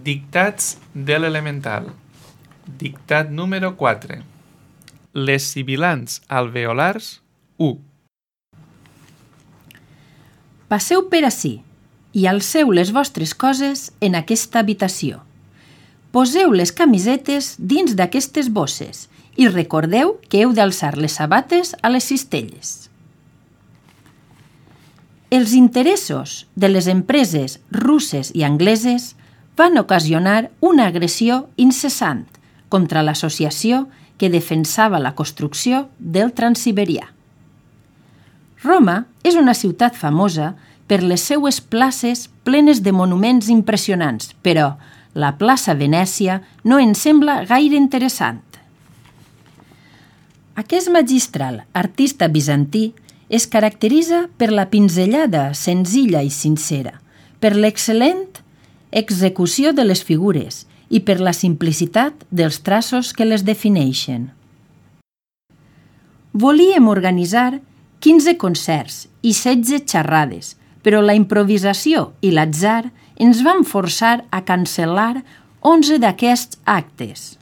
Dictats de l'elemental. Dictat número 4. Les sibilants alveolars 1. Passeu per ací i alceu les vostres coses en aquesta habitació. Poseu les camisetes dins d'aquestes bosses i recordeu que heu d'alçar les sabates a les cistelles. Els interessos de les empreses russes i angleses van ocasionar una agressió incessant contra l'associació que defensava la construcció del Transsiberià. Roma és una ciutat famosa per les seues places plenes de monuments impressionants, però la plaça Venècia no ens sembla gaire interessant. Aquest magistral artista bizantí es caracteritza per la pinzellada senzilla i sincera, per l'excel·lent execució de les figures i per la simplicitat dels traços que les defineixen. Volíem organitzar 15 concerts i 16 xerrades, però la improvisació i l'atzar ens van forçar a cancel·lar 11 d'aquests actes.